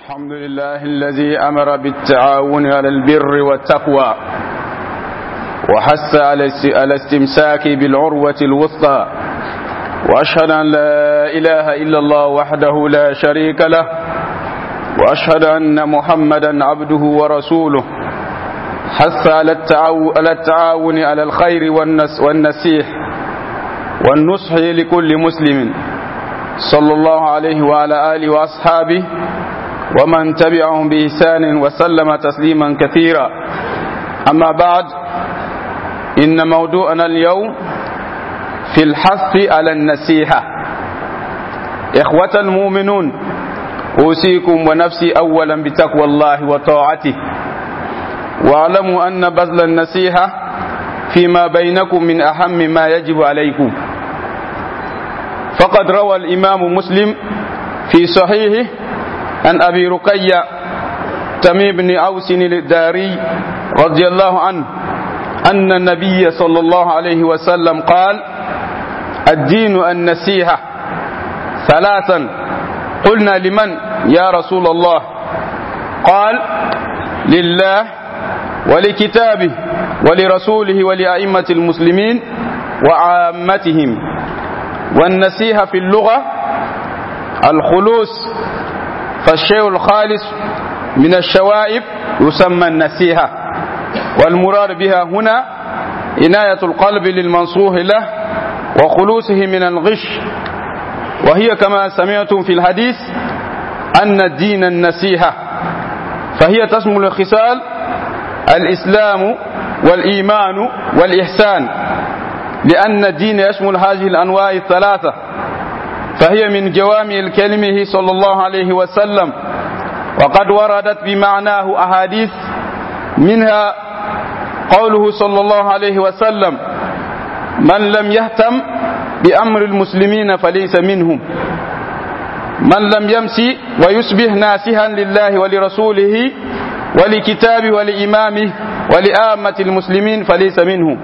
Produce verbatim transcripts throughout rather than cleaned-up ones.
الحمد لله الذي أمر بالتعاون على البر والتقوى وحث على الاستمساك بالعروة الوثقى وأشهد أن لا إله إلا الله وحده لا شريك له وأشهد أن محمدا عبده ورسوله حث على التعاون على الخير والنس والنسيح والنصح لكل مسلم صلى الله عليه وعلى آله وأصحابه ومن تبعهم بإحسان وسلم تسليما كثيرا أما بعد إن موضوعنا اليوم في الحث على النسيحة إخوة المؤمنون أوصيكم ونفسي أولا بتقوى الله وطاعته واعلموا أن بذل النصيحة فيما بينكم من أهم ما يجب عليكم فقد روى الإمام مسلم في صحيحه عن أبي رقية تميم بن أوس الداري رضي الله عنه أن النبي صلى الله عليه وسلم قال الدين النسيحة ثلاثا قلنا لمن يا رسول الله قال لله ولكتابه ولرسوله ولأئمة المسلمين وعامتهم والنسيحة في اللغة الخلوص فالشيء الخالص من الشوائب يسمى النسيحة والمراد بها هنا عناية القلب للمنصوح له وخلوصه من الغش وهي كما سمعتم في الحديث أن الدين النسيحة فهي تشمل الخصال الإسلام والإيمان والإحسان لأن الدين يشمل هذه الأنواع الثلاثة فهي من جوامع الكلمه صلى الله عليه وسلم وقد وردت بمعناه أحاديث منها قوله صلى الله عليه وسلم من لم يهتم بأمر المسلمين فليس منهم من لم يمسي ويصبح ناسها لله ولرسوله ولكتابه ولإمامه ولآمة المسلمين فليس منهم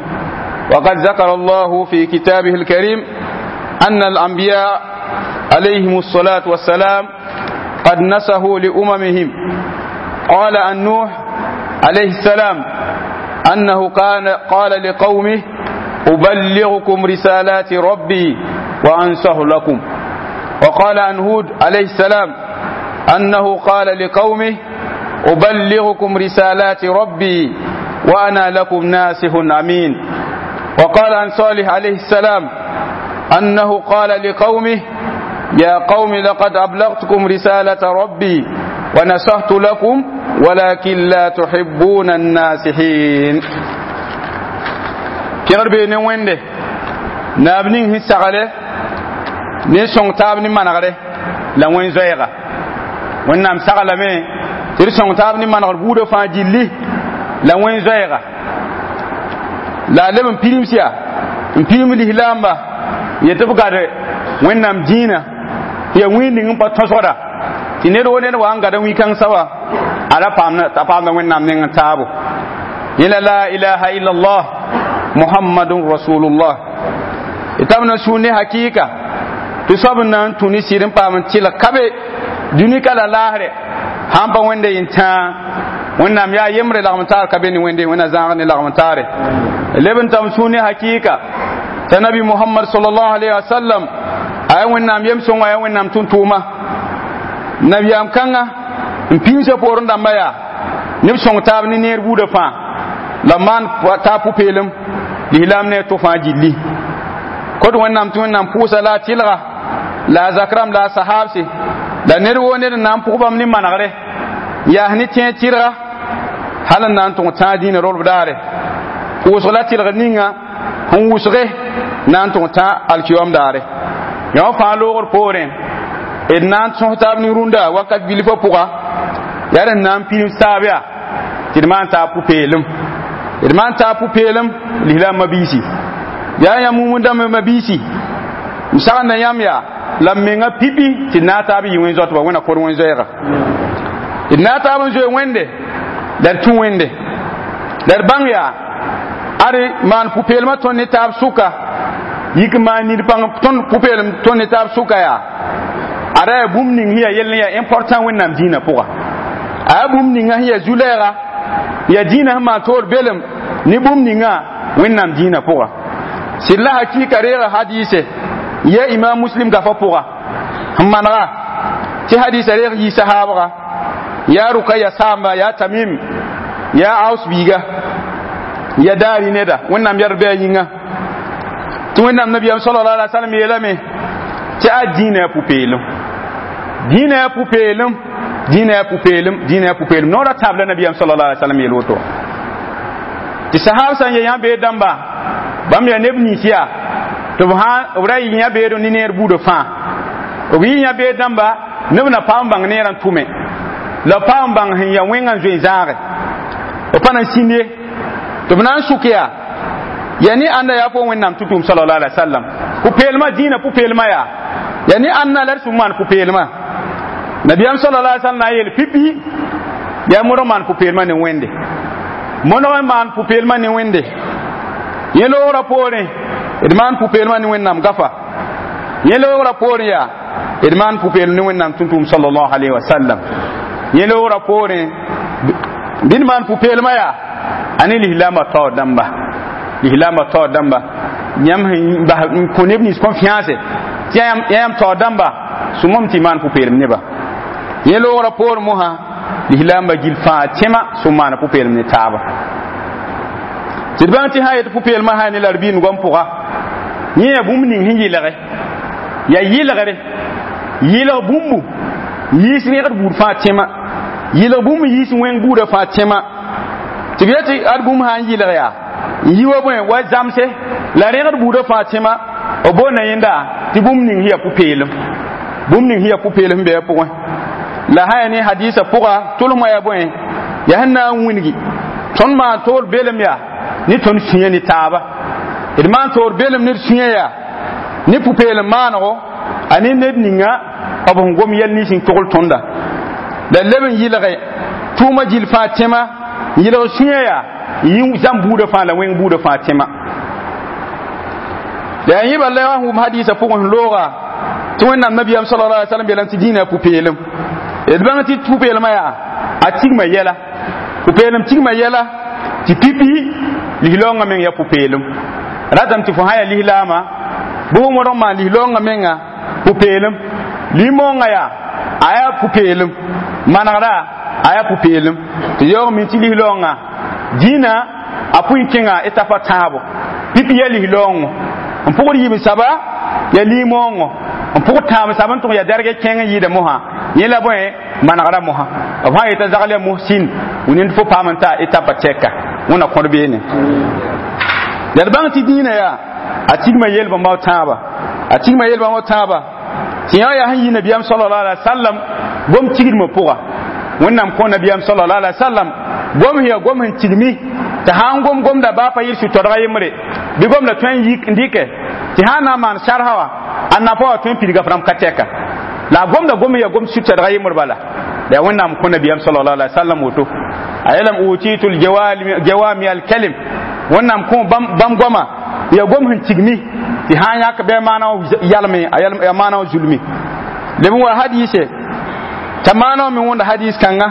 وقد ذكر الله في كتابه الكريم أن الأنبياء عليهم الصلاة والسلام قد نسهوا لأممهم قال عن نوح عليه السلام أنه كان قال لقومه أبلغكم رسالات ربي وأنصح لكم وقال عن هود عليه السلام أنه قال لقومه أبلغكم رسالات ربي وأنا لكم ناصح أمين وقال عن صالح عليه السلام أنه قال لقومه يا قوم لقد أبلغتكم رسالة ربي ونصحت لكم ولكن لا تحبون الناصحين kẽgr bee ne wẽnde naab ning sẽn sagre ne sõng taab ne manegre la wẽn zoɛɛga wẽnnaam saglame tɩ d sõng taab ne manegr buudã fãa gilli la wẽn zoɛɛga la a leb n pidims yaa n pidim lislaamba yetɩ b gad wẽnnaam dĩinã yaa wĩig ning n pa tõsgda tɩ ned wo ned wa n gada wĩ-kãng soaba a ra paamda paamda wẽnnaam neng n taabo yẽla la ilaha illallah muhammadun rasulullah y tab na sũur ne hakɩɩka tɩ soab n na n tũ ne sɩd n paam n tɩlg ka be dũni ka la laasrɛ sãn pa wẽnde yẽn tãa wẽnnaam yaa yembre lagm taar ka be ne wẽnde wẽnna zãag ne lagm taare leb n tam sũur ne hakɩɩka t'a nabi muhammad sallallahu alaihi wasallam a yaa wẽnnaam yem sõngo a yaa wẽnnaam tʋm-tʋʋma nabiyaam kãnga n pĩnsã poorẽ dãmba yaa neb sõng taab ne neer buudã fãa la maan taab pʋ-peelem lislaam ne a to fãa gilli kot wẽnnaam tɩ wẽnnaam pʋʋsa la a tɩlga la a zak rãmb la a sahaabse la ned woo ned n na n pʋg bãmb ne manegre n yaas ne tẽeg tɩrga hal n na n tõg tãag dĩinã rolb daare pʋʋsg la tɩlgr ninga sẽn wʋsge na n tõg tã alkiyom daare yõ fãa loogr poorẽ d na n sõs taab ne rũndã wakat bilfã pʋga yaa d na n pirim taab yaa tɩ d maan taab pʋ-peelem d maan taab pʋ-peelem lislaam mabiisi yaa yãmb mumundãmb mabiisi m sagenda yãmb yaa la m menga pipi tɩ d na taab yɩ wẽn zoatba wẽna kor wẽn zoɛɛga d na taab n zoe wẽnde la d tũ wẽnde la d bãng yaa ad maan pʋ-peelmã tõnd ne taab sʋka yik maan nid pãng tõnd pʋ-peelem tõnd ne taab sʋka yaa Ada yaa bũmb ning sẽn yaa yell n yaa important Wẽnnaam dĩinã pʋga. A yaa bũmb ninga sẽn yaa zu-lɛɛga, yaa dĩinã sẽn maan toor belem ne bũmb ninga Wẽnnaam dĩinã pʋga. Sɩd la hakɩɩka reega hadɩɩse ya Imam Muslim gafã pʋga n manega tɩ hadɩɩsa reeg yɩ sahaabga, yaa Rukaya saamba, yaa Tamim, yaa Aus biiga, ya daari neda, Wẽnnaam yɛd bɩ a yĩnga, tɩ Wẽnnaam nabiyaam sallallahu alaihi wasallam yeelame tɩ a dĩinã yaa pʋ-peelem, dĩinã yaa pʋ-peelem, dĩinã yaa pʋ-peelem, dĩinã yaa pʋ-peelem. Noora tãab la nabiyaam sallallahu alaihi wasallam yeel woto tɩ sahab sã n ye yã beed dãmba, bãmb yaa neb nins yaa tɩ b sã b ra yɩ yã beed ne neer buudã fãa. B yɩ yã beed dãmba, neb na paam n bãng neerã n tʋme, la b paam n bãng sẽn ya wẽngã n zoe n zãage, b pa na n sĩnd ye tɩ b na n sʋk yaa yaa ne ãnda yaa fo Wẽnnaam tʋ-tʋʋm sallallahu alaihi wasallam pʋ-peelmã, dĩinã pʋ-peelmã yaa yaa ne ãnna la d sũm maan pʋ-peelmã. Nabiyaam sallallahu alaihi wasallam na n yeel pipi yaa modg maan pʋ-peelmã ne Wẽnde, modg n maan pʋ-peelmã ne Wẽnde. Yẽ loogrã poorẽ d maan pʋ-peelmã ne Wẽnnaam gafa, yẽ loogrã poorẽ yaa d maan pʋ-peelm ne Wẽnnaam tʋm-tʋʋm sallallahu alaihi wasallam. Yẽ loogrã poorẽ bɩ d maan pʋ-peelmã yaa a ne lislaambã taoor dãmba, lislaambã taoor dãmba yãmb sẽn bas n kõ neb nins confiance tɩ yaa yãmb taoor dãmba sũmam tɩ maan pʋ-peelem neba. Yẽ loogrã poorẽ mosã lislaambã gill fãa tẽma sẽn maana pʋ-peelem ne taaba, tɩ d bãng tɩ sã yet pʋ-peelmã sã ne la d biin goam pʋga, yẽ yaa bũmb ning sẽn yɩlge, yaa yɩlgre, yɩlg bũmbu yiis rẽgd buud fãa tẽma, yɩlg bũmb yiis wẽng buudã fãa tẽma, tɩ b yetɩ ad bũmb sã n yɩlg yaa n yi wa bõe wa zamse la rẽgd buudã fãa tẽma. B boonda yẽnda tɩ bũmb ning sẽn yaa pʋ-peelem, bũmb ning sẽn yaa pʋ-peelem sẽn be a pʋgẽ. La sã yaa ne hadɩɩsã pʋga tʋlsmã yaa bõe, yaa sẽn na n wĩngi tõnd maan toor belem yaa ne tõnd sũyã ne taaba, d maan toor belem ne d sũyã yaa ne pʋ-peelem maanego a ne ned ninga b sẽn gom yɛl nins n togl tõnda, la leb n yɩlge tʋʋma gill fãa tẽma, n yɩlg sũyã yaa n yĩ zãmb buudã fãa la wẽng buudã fãa tẽma. La yaa yẽba la wa wʋm hadɩɩsã pʋgẽ sẽn looga tɩ Wẽnnaam nabiyaam sallallahu alaihi wasallam yeelame tɩ dĩinã pʋ-peelem. D bãng tɩ pʋ-peelmã yaa a tigma yɛla, pʋ-peelem tigma yɛla tɩ pipi lislaoongã meng yaa pʋ-peelem. Ratame tɩ fo sã yaa lislaama bɩ fo modg n maan lislaoongã menga pʋ-peelem, lim-moongã yaa a yaa pʋ-peelem, manegra a yaa pʋ-peelem, tɩ yaoog min tɩ lislaoongã dĩinã a pʋɩ kẽnga etapa tãabo. Pipi yaa lislaoongo n pʋgd yiib n saba yaa lim-moongo n pʋgd tãab n sab n tʋg yaa dɛrg kẽng n yɩɩda mosã, yẽ la bõe manegra mosã. B sã yeta zagl yaa muhsin wẽnd fo paam n ta etapa tɛka wẽna kõd beene. La d bãng tɩ dĩinã yaa a tigma yel-bãmba tãaba, a tigma yel-bãmba tãaba tɩ yã yaa sẽn yi nabiyaam sallallahu alaihi wasallam gom tigdmã pʋga. Wẽnnaam kõ nabiyaam sallallahu alaihi wasallam gom sẽn yaa gom sẽn tigmi tɩ sã n gom gomda baa pa yɩl sũ-tɔdga yembre bɩ gomda tõe n yik n dɩkɛ tɩ sã n na n maan sarsa wã a nafa wã tõe n pidga f rãmb ka tɛka, la a gomda gom sẽn yaa gom sũ-tɛdga yembr bala. La yaa Wẽnnaam kõ nabiyaam sallallahu alaihi wasallam woto a yeelame utitu ljawami alkalim, Wẽnnaam kõ bãmb goama yaa gom sẽn tigmi tɩ sã n yãk bɩ a maana wã yalme, a maana wã zulmi. Leb n wa hadiise t'a maana wã me wõnda hadiis kãnga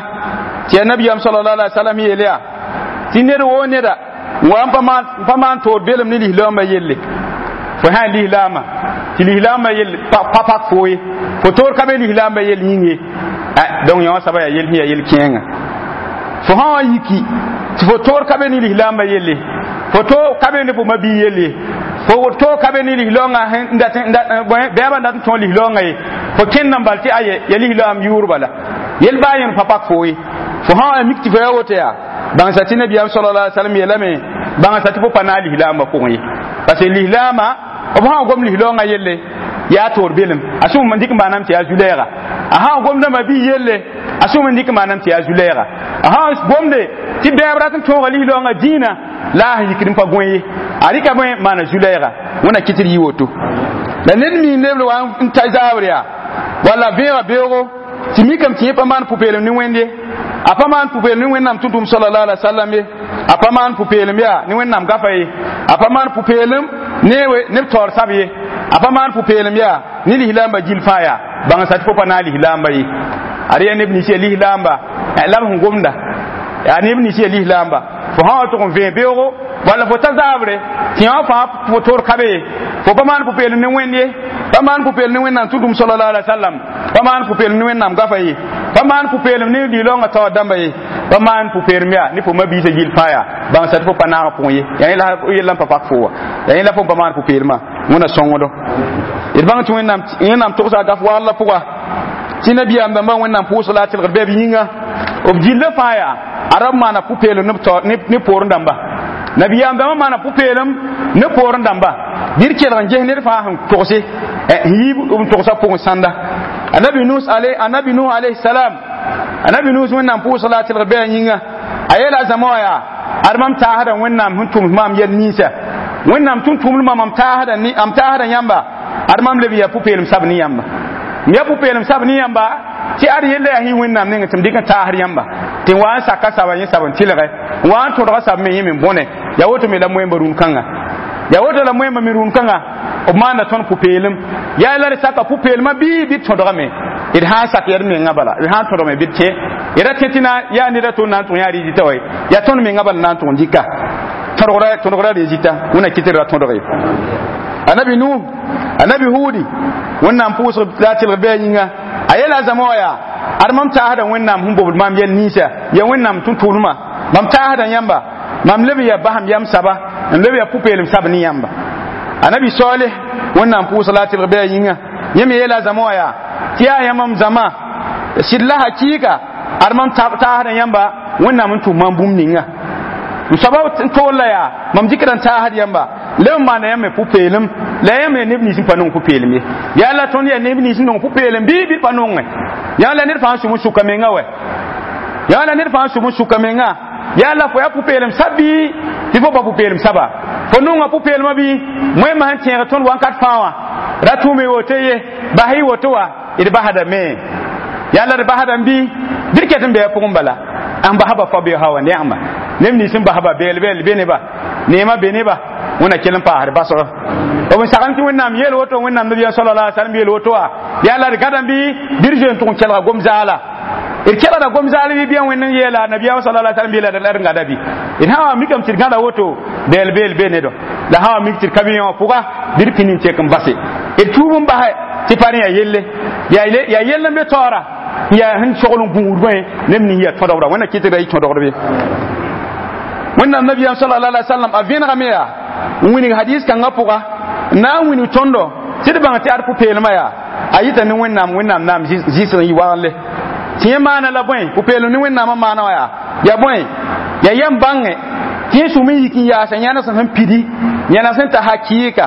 tɩ yaa nabiyaam sallallahu alaihi wasallam yeel yaa tɩ ned woo neda wa n pa maan toor belem ne lislaambã yelle, fo sã n lislaambã tɩ lislaambã yell pa pak fo ye, fo toor ka be lislaambã yell yĩng ye, donc yã wã soaba yaa yell sẽn yaa yell kẽenga. Fo sã wã yiki tɩ fo toor ka be ne lislaambã yelle, fo to ka be ne fo mabii yelle, fo to ka be ne lislaoongã bɛɛbã n dat n tõog lislaoongã ye, fo kẽnd n bal tɩ aye ya lislaam yʋʋr bala, yel baa yẽn pa pak fo ye. Fo sã wã mik tɩ fo yaa woto yaa bãngsa tɩ nabiyaam sallallahu alaihi wasallam yeelame bãngsa tɩ fo pa naag lislaambã pʋgẽ ye, parce que lislaamã b sã n gom lislaoongã yelle yaa toor belem, a sũm n dɩk n maaname tɩ yaa zu-lɛɛga, a sã n gomda mabii yelle a sũm n dɩk n maaname tɩ yaa zu-lɛɛga, a sã n gomde tɩ bɛɛb rat n tõoga lislaoongã dĩinã la a sẽn yikd n pa gõe ye, a rɩka bõe maana zu-lɛɛga. Wẽna kɩt d yɩ woto la ned mi neb wa n ta zaabr yaa walla vẽega beoogo tɩ mikame tɩ yẽ pa maan pʋ-peelem ne Wẽnd ye, a pa maan pʋ-peelem ne Wẽnnaam tʋm-tʋm sallallahu alaihi wasallam ye, a pa maan pʋ-peelem yaa ne Wẽnnaam gafa ye, a pa maan pʋ-peelem ne neb taoor sab ye, a pa maan pʋ-peelem yaa ne lislaambã gill fãa yaa bãng sa tɩ fo pa na n lislaamba ye ad yaa neb nins yaa lislaamba la b sẽn gomda yaa neb nins yaa lislaamba fo sã wa tʋg n vẽe beoogo walla fo ta zaabre tɩ yã wã fãa fo tor ka be ye fo pa maan pʋ-peelem ne Wẽnd ye pa maan pʋ-peelem ne Wẽnnaam tʋ-dũm sallallahu alaihi wasallam pa maan pʋ-peelem ne Wẽnnaam gafa ye pa maan pʋ-peelem ne lilaoongã taoor dãmba ye pa maan pʋ-peelem yaa ne fo mabiisã gill fãa yaa bãng sa tɩ fo pa naag pʋgẽ ye yaa yẽla yella n pa pak fo wa yaa yẽla fo n pa maan pʋ-peelmã Wẽnna sõngdo d bãng tɩ Wẽnnaam Wẽnnaam togsa a gaf waglã pʋga tɩ nabiyaam dãmbã Wẽnnaam pʋʋsg la a tɩlgd bɩ b yĩnga b gillã fãa yaa a rab maana pʋ-peelem ne poorẽ dãmba nabiyaam dãmbã maana pʋ-peelem ne poorẽ dãmba bɩ d kelg n ges ned fãa sẽn togse n yiib n togsa pʋgẽ sãnda anabi nus anabi nuh alayhi salam anabi nus Wẽnnaam pʋʋsg la a tɩlgd bɩ a yĩnga a yeela a zãma wã yaa ad mam taasda Wẽnnaam sẽn tʋms maam yɛl ninsã Wẽnnaam tʋm tʋmdmã mam taasda mam taasda yãmba ad mam leb yaa pʋ-peelem sab ne yãmba m yaa pʋ-peelem sab ne yãmba tɩ ad yella yaa sẽn Wẽnnaam nengẽ tɩ m dɩk n taasd yãmba tɩ n wa n saka saba yẽ sab n tɩlge n wa n tõdga sab me yẽ me bõne yaa woto me la moẽmba rũn-kãnga yaa woto la moẽmba me rũn-kãnga b maanda tõnd pʋ-peelem yaa la d saka pʋ-peelmã bɩ bɩ d tõdgame d sã n sak yaa d mengã bala d sã n tõdgame bɩ d tẽ d ra tẽ tɩ yaa ned a to na n tʋg yã rɩzita wa yaa tõnd mengã bala na n tʋg n dɩka tõdgra tõdgra rɩzita Wẽnna kɩt d ra tõdg ye anabi nuh anabi hudi Wẽnnaam pʋʋsg la a tɩlgd bɩ a yĩnga a yeela a zãma wã yaa ad mam taasda Wẽnnaam sẽn bobd maam yɛl ninsã yaa Wẽnnaam tʋm-tʋʋlmã mam taasda yãmba mam leb yaa basem yam saba n leb yaa pʋ-peelem sab ne yãmba anabi saleh Wẽnnaam pʋʋsg la a tɩlg bɩ a yĩnga yẽ me yeela a zãma wã yaa tɩ yaa yãmb zãma sɩd la hakɩɩka ad mam taasda yãmba Wẽnnaam n tʋm maam bũmb ninga m soaba n tool la yaa mam dɩkda n taasd yãmba leb n maana yãmb me pʋ-peelem la yãmb yaa neb nins n pa nong pʋ-peelem ye yaa la tõnd yaa neb nins n nong pʋ-peelem bɩ bɩ pa nongẽ yaa la ned fãa n sʋm n sʋka menga wɛ yaa la ned fãa n sʋm n sʋka menga yaa la fo yaa pʋ-peelem sab bɩ tɩ fo pa pʋ-peelem saba fo nonga pʋ-peelmã bɩ moẽmã sẽn tẽeg tõnd wãnkat fãa wã ra tʋʋme woto ye bas y woto wa d basdame yaa la d basdame bɩ bɩ d ket n bɩ a pʋgẽ bala n basba fa be hawa neama neb nins n basba beel beel be neba neema be neba Wẽnna kell n paasd basg b n sagem tɩ Wẽnnaam yeel woto Wẽnnaam nabiyaam sallallahu alaihi wasallam yeel woto wa yaa la d gãdame bɩ bɩ d zoe n tʋg n kelga gom zaala d kelgda gom zaal bɩ bɩa Wẽnd n yeela nabiyaam sallallahu alaihi wasallam yeela la d gãda bɩ d sã wa mikame tɩ d gãda woto beel beel be nedo la sã wa mik tɩ d ka bɩ yã wã pʋga bɩ d pĩnd n tek n base d tuub n basɛ tɩ pa rẽ yaa yelle yaa yell n be taoora yaa sẽn sogl n gũud bõe neb nins yaa tõdgra Wẽnna kɩt ra yɩ tõdgd be Wẽnnaam nabiyaam sallallahu alaihi wasallam a vẽnegame yaa n wilg hadis kãngã pʋga n na n wilg tõndo tɩ d bãng tɩ ad pʋ-peelmã yaa a yita ne Wẽnnaam Wẽnnaam naam zɩsg n yɩ wagenle tɩ yẽ maana la bõe pʋ-peelem ne Wẽnnaamã maana wã yaa yaa bõe yaa yãmb bãngẽ tɩ yẽ sũm n yik n yaasa yãnes sẽn pidi yãnes sẽn ta hakɩɩka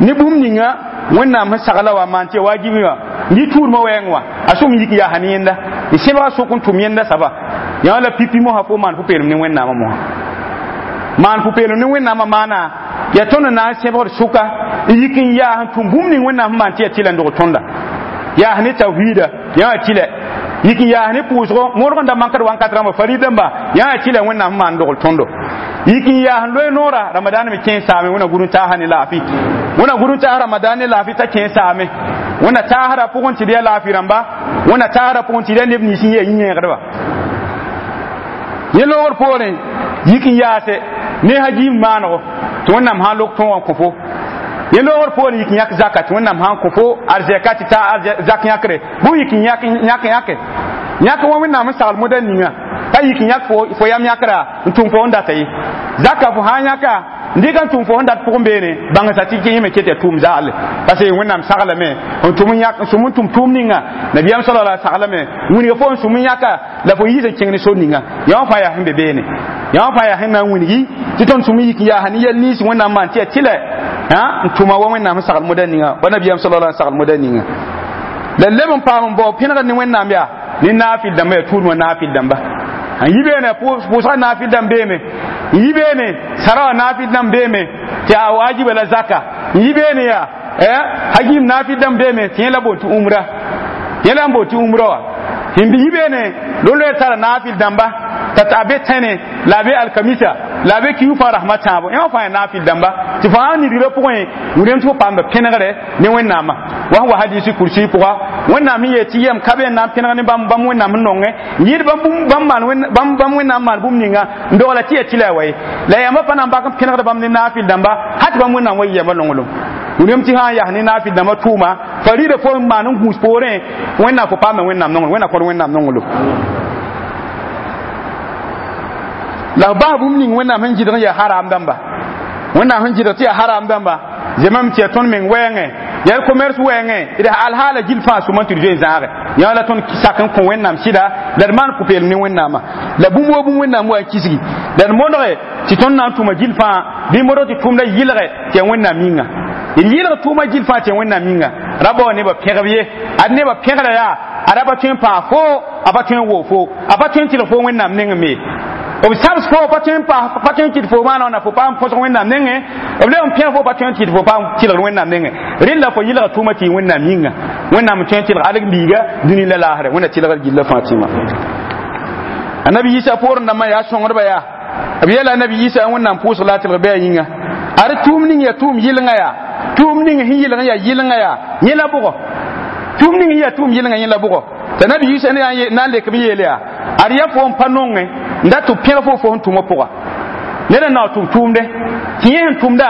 ne bũmb ninga Wẽnnaam sẽn sagla wa maan tɩ ya wajibi wã n yɩ tuudmã wɛɛng wã a sũm n yik n yaasa ne yẽnda d sẽbga sʋk n tʋm yẽnda saba yã la pipi mosã fo maan pʋ-peelem ne Wẽnnaamã mosã maan pʋ-peelem ne Wẽnnaamã maana yaa tõnd na n sẽbgd sʋka n yik n yaas n tʋm bũmb ning Wẽnnaam sẽn maan tɩ yaa tɩla n dog tõnda yaas ne tawhiida yã wã tɩlɛ yik n yaas ne pʋʋsgo modg n da mankd wãnkat rãmba farid dãmba yã wã tɩlɛ Wẽnnaam sẽn maan dogl tõndo yik n yaas n loe noora ramadan me kẽ saame Wẽnna gũud n taasa ne laafɩ Wẽnna gũud n taas ramadan ne laafɩ t'a kẽ saame Wẽnna taasda pʋgẽ tɩ d yaa laafɩ rãmba Wẽnna taasda pʋgẽ tɩ d yaa neb nins n yaa yĩ-yẽegdba yẽ loogr poorẽ yik n yaase ne hajiim maanego tɩ Wẽnnaam sã n lok tõog n kõ fo yẽ loogr poorẽ yik n yãk zaka tɩ Wẽnnaam sã n kõ fo arzɛka tɩ ta zak yãkre bʋ yik n yãk yãke yãk wã Wẽnnaam n sagl moda ninga pa yik n yãk fo yam yãkra n tʋm fo n data ye zaka fo sã n yãka n dɩk n tʋm fo sẽn dat pʋgẽ beene bãngsa tɩ yẽ me ket yaa tʋʋm zaale parce que Wẽnnaam saglame n tʋm n yãk n sũm n tʋm tʋʋm ninga nabiyaam sallallahu alaihi saglame wilga fo n sũm n yãka la fo yiis n kẽng ne sor ninga yã wã fãa yaa sẽn be beene yã wã fãa yaa sẽn na n wilgi tɩ tõnd sũm n yik n yaasa ne yɛl nins Wẽnnaam maan tɩ yaa tɩlɛ n tʋma wa Wẽnnaam sẽn sagl moda ninga wa nabiyaam sallallahu alaihi sagl moda ninga la leb n paam n bao pẽnegd ne Wẽnnaam yaa ne naafɩl dãmba yaa tuudmã naafɩl dãmba n yi beene pʋʋsga naafɩl dãmb beeme n yi beene sara wã naafɩl dãmb beeme tɩ a wajiba la zaka n yi beene yaa hagim naafɩl dãmb beeme tɩ yẽ la boon tɩ umra yẽ la n boon tɩ umra wã n yi beene lo-loɛ tara naafɩl dãmba t'a t'a be tẽne la a be alkamisa la a be kiu fãa rasmã tãabo yã wã fãa yaa naafɩl dãmba tɩ fo sã n nidgrã pʋgẽ wilame tɩ fo paamda pẽnegre ne wẽnnaamã wa sẽn wa hadisi kursi pʋga wẽnnaam sẽn yeel tɩ yɛm ka be n na n pẽneg ne bãmb bãmb wẽnnaam sẽn nongẽ n yɩɩd bãmb bãmb bãmb wẽnnaam maan bũmb ninga n dogla tɩ yaa tɩ la a wa ye la yãmba pa na n bak n pẽnegd bãmb ne naafɩl dãmba hal tɩ bãmb wẽnnaam wa yɩ yãmba nonglem wilame tɩ sã n yas ne naafɩl dãmbã tʋʋma fa rɩɩda fo n maan n gũus poorẽ wẽnnaam fo paamda wẽnnaam nonglem wẽnnaam kõd wẽnnaam nonglem la b bas bũmb ning wẽnnaam sẽn gɩdg n yaa haram dãmba wẽnnaam sẽn gɩdg tɩ yaa haram dãmba zemame tɩ yaa tõnd meng wɛɛngẽ yaa d commerce wɛɛngẽ d alhaala gill fãa sʋma tɩ d zoe n zãage yã la tõnd sak n kõ wẽnnaam sɩda la d maan pʋ-peelem ne wẽnnaamã la bũmb wo bũmb wẽnnaam wa n kisgi la d modge tɩ tõnd na n tʋma gill fãa bɩ modg tɩ tʋʋmda yɩlge tɩ yaa wẽnnaam yĩnga d yɩlg tʋʋma gill fãa tɩ yaa wẽnnaam yĩnga ra bao nebã pẽgb ye ad nebã pẽgra yaa ad a pa tõe n paas fo a pa tõe n woog fo a pa tõe n tɩlg fo wẽnnaam nengẽ me b sabs fo pa tõe n paas pa tõe n kɩt fo maana wãna fo paam põsg wẽnnaam nengẽ b leb n pẽg fo pa tõe n kɩt fo paam tɩlgd wẽnnaam nengẽ rẽnd la fo yɩlga tʋʋma tɩ yɩ wẽnnaam yĩnga wẽnnaam n tõe n tɩlg alg-biiga dũni la laasrɛ wẽnna tɩlgd gilla fãa tɩma annabi yisa poorẽ dãmbã yaa sõngdbã yaa b yeela annabi yisa wẽnnaam pʋʋsg la a tɩlg bɩ a yĩnga ad tʋʋm ning yaa tʋʋm yɩlenga yaa tʋʋm ning sẽn yɩlg n yaa yɩlenga yaa yẽ la bʋgɔ tʋʋm ning sẽn yaa tʋʋm yɩlenga yẽ la bʋgɔ t'a nabi yisa na n lek b yeel yaa ad yaa fo n pa nongẽ n dat tɩ pẽg fo fo sẽn tʋmã pʋga ned n na tʋm tʋʋmde tɩ yẽ sẽn tʋmda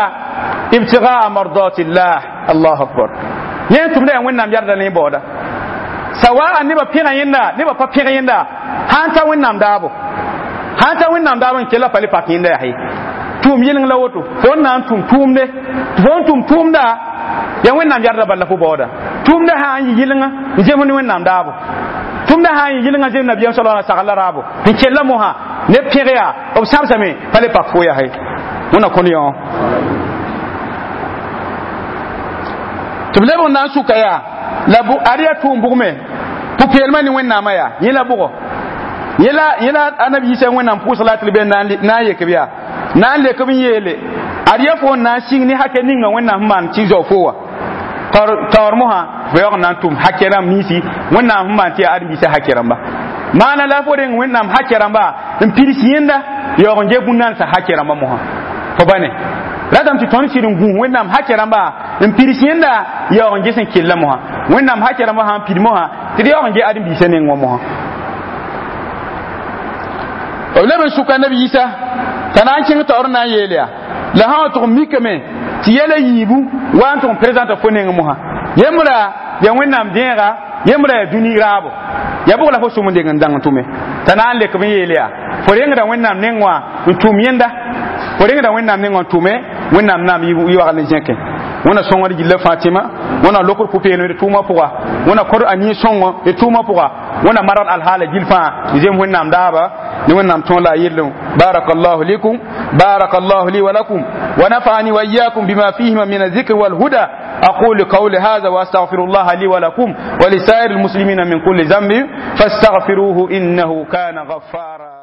ibtigaa mardatillah allahu akbar yẽ sẽn tʋmda yaa wẽnnaam yarda ne baooda sawaa nebã pẽga yẽnda nebã pa pẽg yẽnda sãn ta wẽnnaam daabo sãn ta wẽnnaam daabo n kella pa le pak yẽnda yaa ye tʋʋm yɩleng la woto fo n na n tʋm tʋʋmde tɩ fo n tʋm tʋʋmda yaa wẽnnaam yarda bala fo baooda tʋʋmda sã n yɩ yɩlenga n zems ne wẽnnaam daabo tʋmda sã n yɩ yɩlenga zems nabiyaam sala la sagl la raabo n kella mosã neb pẽg yaa b sãbsame pa le pak fo yaa ye wẽnna kõn yõ tɩ b lebg n na n sʋka yaa la ad yaa tʋʋm bʋgme pʋ-peelmã ne wẽnnaamã yaa yẽ la bʋgɔ yẽ la yẽ la anabi yisa wẽnnaam pʋʋsg la tɩ b na n yek b yaa na n lek b n yeele ad yaa fo n na n sɩng ne hakɛ ninga wẽnnaam sẽn maan tɩ zao fo wa taoor mosã fo yaoog n na n tʋm hakɛ rãmb ninsi wẽnnaam sẽn maan tɩ yaa ãdem-biisã hakɛ rãmba maana la fo reng wẽnnaam hakɛ rãmba n pids yẽnda yaoog n ge bũn-nansã hakɛ rãmba mosã fo ba ne ratame tɩ tõnd sɩd n gũus wẽnnaam hakɛ rãmba n pids yẽnda yaoog n ges n kella mosã wẽnnaam hakɛ rãmba sã n pid mosã tɩ d yaoog n ge ãdem-biisã neng wã mosã b leb n sʋka nabi yisa t'a na n kẽng taoor n na n yeel yaa la sã wa tʋg n mikame tɩ yɛla yiibu wa n tʋg n présenta fo neng mosã yembra yaa wẽnnaam dẽega yembra yaa dũni raabo yaa bʋg la fo sʋm n deng n dãng n tʋme t'a na n lek b n yeel yaa fo rengda wẽnnaam neng wã n tʋm yẽnda fo rengda wẽnnaam neng wã n tʋme wẽnnaam naam yɩ wagl n zẽkẽ wẽna sõngd gilla fãa tɩma wẽna lokd pʋ-peelem d tʋʋmã pʋga wẽna kod a nin-sõngo d tʋʋmã pʋga wẽna margd alhaala gill fãa zems wẽnnaam daaba ne wẽnnaam tõog la a yellem barakallahu likum barakallahu li wa lakum wa nafa'ani wa iyyakum bima fihima min الذكر والهدى أقول قولي هذا وأستغفر الله لي ولكم ولسائر المسلمين من كل ذنب فاستغفروه إنه كان غفارا.